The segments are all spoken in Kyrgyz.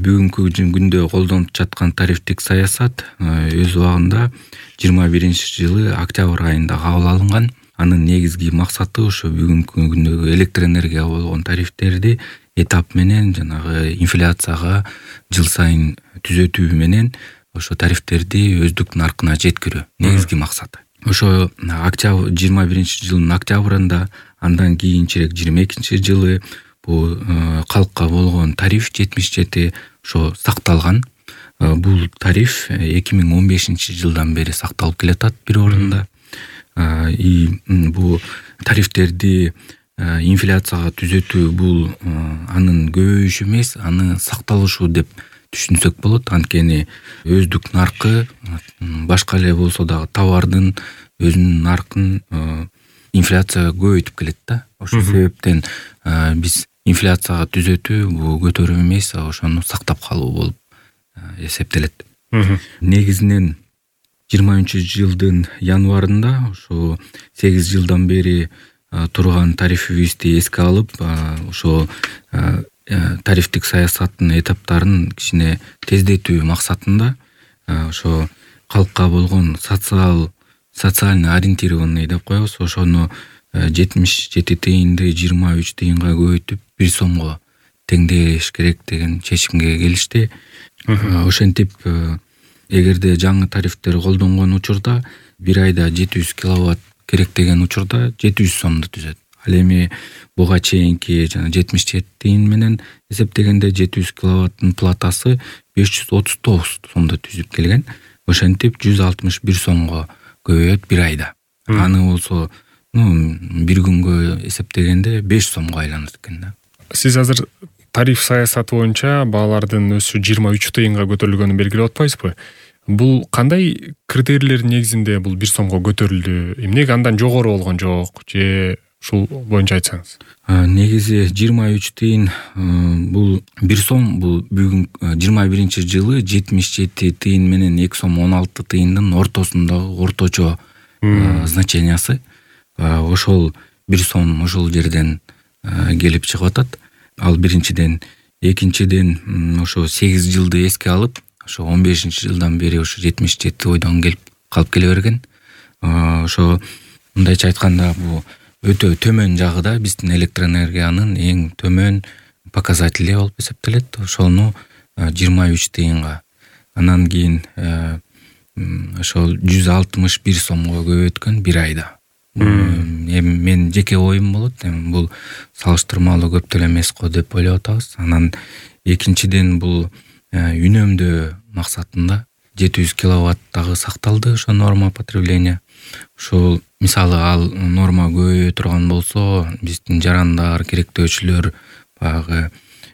бүгүнкү күндө колдонуп жаткан тарифтик саясат өз убагында 21-жылы октябрь айында кабыл алынган. Анын негизги максаты ошо бүгүнкү күндөгү электр энергияга болгон тарифтерди этап менен жанагы инфляцияга жыл сайын түзөтүү менен ошо тарифтерди өздүк наркына жеткирүү негизги максаты. Ошо 21-жылдын октябрында, андан кийинчерээк 22-жылы бул калкка болгон тариф 77 ошо сакталган. Бул тариф 2015-жылдан бери сакталып келатат бир орунда. Бул тарифтерди инфляцияга түзөтүү бул анын көбөйүшү эмес, аны сакталышы деп түшүнсөк болот. Анткени өздүк наркы башка эле болсо дагы товардын өзүнүн наркын инфляцияга көбөйтүп келет да. Ошол себептен биз инфляцияга түзөтүү бул көтөрүү эмес, ошону сактап калуу болуп эсептелет. Негизинен 23-жылдын январында ошо 8 жылдан бери турган тарифибизди эске алып, ошо тарифтик саясаттын этаптарын кичине тездетүү максатында ошо калкка болгон социально ориентированный деп коебуз, ошону 77 тыйынды 23 тыйынга көбөйтүп 1 сомго теңдеш керек деген чечимге келишти. Ошентип эгерде жаңы тарифтер колдонгон учурда бир айда 700 киловатт керек деген учурда 700 сомду түзөт. Ал эми буга чейинки жана 77 тыйын менен эсептегенде 700 киловаттын платасы 539 сомду түзүп келген. Ошентип 161 сомго көбөйөт бир айда. Аны болсо бир күнгө эсептегенде 5 сомго айланат экен да. Сиз азыр тариф саясаты боюнча баалардын өсүшү 23 тыйынга көтөрүлгөнүн белгилеп атпайсызбы? Бул кандай критерийлер негизинде бул 1 сомго көтөрүлдү? Эмнеге андан жогору болгон жок же ушул боюнча айтсаңыз? Негизи 23 тыйын бул 1 сом бул бүгүн 21-жылы 77 тыйын менен 2 сом 16 тыйындын ортосундагы орточо значениясы. Ошол 1 сом ошол жерден келип чыгып атат. Ал биринчиден, экинчиден ошо 8 жылды эске алып, ошо 15-жылдан бери ошо 77 ойдон келип калып келе берген. Ошо мындайча айтканда бул өтө төмөн жагы да биздин электроэнергиянын эң төмөн показатели болуп эсептелет. Ошону 23 тыйынга. Анан кийин ошол 161 сомго көбөйткөн бир айда. Эми мен жеке оюм болот. Эми бул салыштырмалуу көп деле эмес го деп ойлоп атабыз. Анан экинчиден бул үнөмдөө максатында 700 киловаттагы сакталды, ошо норма потребления. Ошол мисалы ал норма көбөйө турган болсо, биздин жарандар, керектөөчүлөр баягы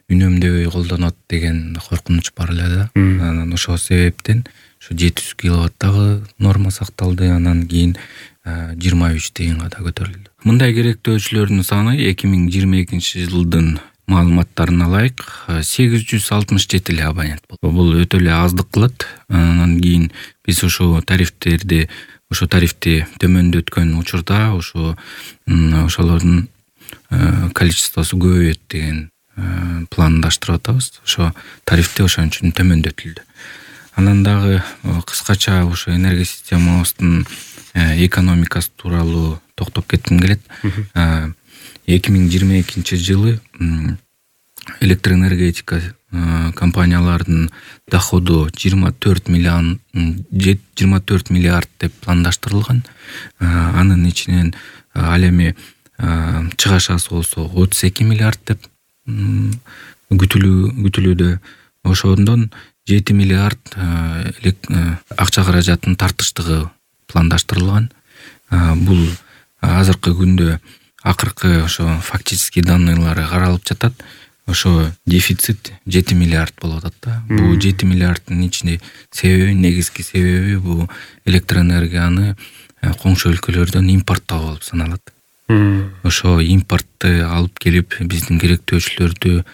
үнөмдөбөй колдонот деген коркунуч бар эле да. Анан ошол себептен ошо 700 киловаттагы норма сакталды, анан кийин 23 тыйынга да көтөрүлдү. Мындай керектөөчүлөрдүн саны 2022-жылдын маалыматтарын алайык, 867 эле абонент болду. Бул өтө эле аздык кылат. Анан кийин биз ошо тарифти төмөндөткөн учурда ошолордун количествосу көбөйөт деген пландаштырып атабыз. Ошо тарифти ошон үчүн төмөндөтүлдү. Анан дагы кыскача ошо энергосистемабыздын экономикасы тууралуу токтоп кетким келет. 2022-жылы электроэнергетика компаниялардын доходу 24 миллиард деп пландаштырылган. Анын ичинен ал эми чыгашасы болсо 32 миллиард деп күтүлүүдө. Ошондон 7 миллиард акча каражатын тартыштыгы пландаштырылган. Бул азыркы күндө акыркы ошо фактический данныйлары каралып жатат. Ошо дефицит 7 миллиард болуп атат да. Бул 7 миллиарддын ичинде негизги себеби бул электроэнергияны коңшу өлкөлөрдөн импорттоо болуп саналат. Ошо импортты алып келип биздин керектөөчүлөрдү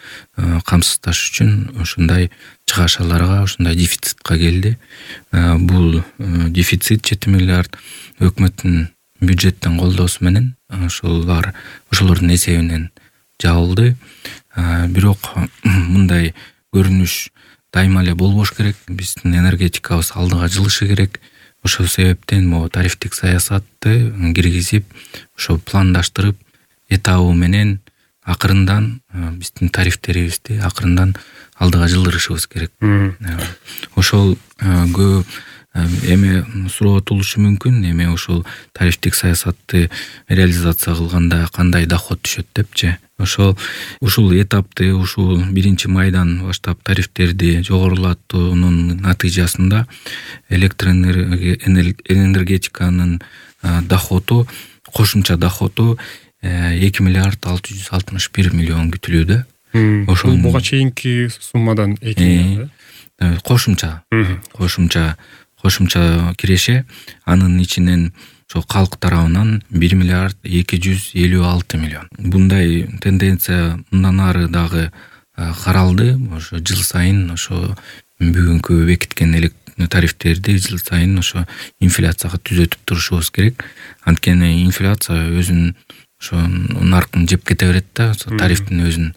камсыздаш үчүн ошондой чыгашаларга, ошондой дефицитка келди. Бул дефицит 7 миллиард өкмөттүн бюджеттен колдоосу менен ошолордун эсебинен жабылды. Бирок мындай көрүнүш дайыма эле болбош керек. Биздин энергетикабыз алдыга жылышы керек. Ошол себептен могу тарифтик саясатты киргизип, ошо пландаштырып, этабы менен акырындан биздин тарифтерибизди акырындан алдыга жылдырышыбыз керек. Ошол көп эме суроо туулушу мүмкүн. Эме ошол тарифтик саясатты реализация кылганда кандай доход түшөт депчи. Ушул этапты, ушул 1-майдан баштап тарифтерди жогорулатуунун натыйжасында электроэнергетиканын доходу, кошумча доходу 2 миллиард 661 миллион күтүлүүдө. Ошол буга чейинки суммадан 2 миллион. Кошумча киреше, анын ичинен ошо калк тарабынан 1 миллиард 256 миллион. Bunday тенденция мындан ары дагы каралды. Ошо жыл сайын ошо бүгүнкү бекиткен тарифтерди жыл сайын ошо инфляцияга түзөтүп турушубуз керек. Анткени инфляция өзүн ошо наркын жеп кете берет да, тарифтин өзүн.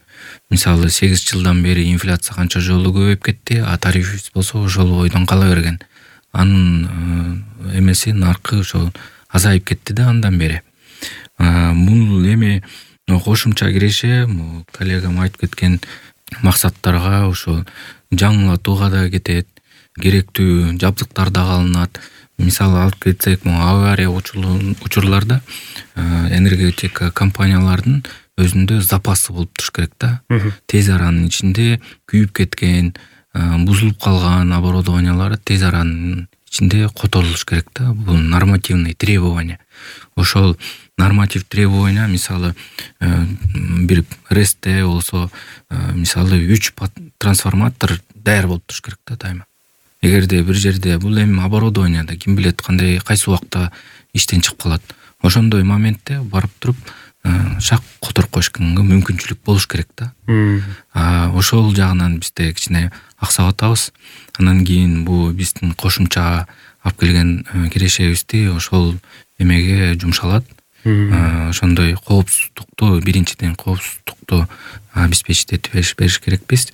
Мисалы 8 жылдан бери инфляция канча жолу көбөйүп кетти, а тарифибиз болсо ошол бойдон кала берген. Анын эмеси наркы ошо азайып кетти да андан бери. Бул эми кошумча киреше, коллегам айтып кеткен максаттарга ошо жаңылатууга да кетет, керектүү жабдыктар дагы алынат. Мисалы алып кетсек, авария учурларда энергетика компаниялардын өзүндө запасы болуп туруш керек да. Тез аранын ичинде күйүп кеткен, бузулуп калган оборудованиялары тез аранын ичинде которулуш керек да. Бул нормативный требования. Ошол норматив требования, мисалы бир РЭСте болсо, мисалы 3 трансформатор даяр болуп туруш керек да дайыма. Эгерде бир жерде бул эми оборудованияда ким билет кандай кайсы убакта иштен чыгып калат. Ошондой моментте барып туруп шак которуп коюшканга мүмкүнчүлүк болуш керек да. Ошол жагынан бизде кичине аксап атабыз. Анан кийин бул биздин кошумча алып келген кирешебизди ошол эмеге жумшалат. Ошондой коопсуздукту, биринчиден коопсуздукту обеспечить бериш керекпиз.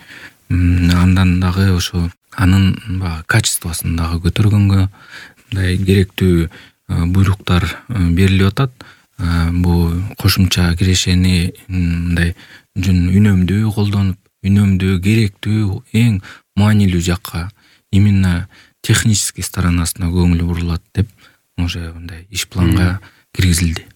Андан дагы ошо анын качествосын дагы көтөргөнгө мындай керектүү буйруктар берилип атат. Бул кошумча кирешени мындай үнөмдүү колдонуп, үнөмдүү керектүү эң маанилүү жакка, именно технический сторонасына көңүл бурулат деп уже мындай иш планга киргизилди.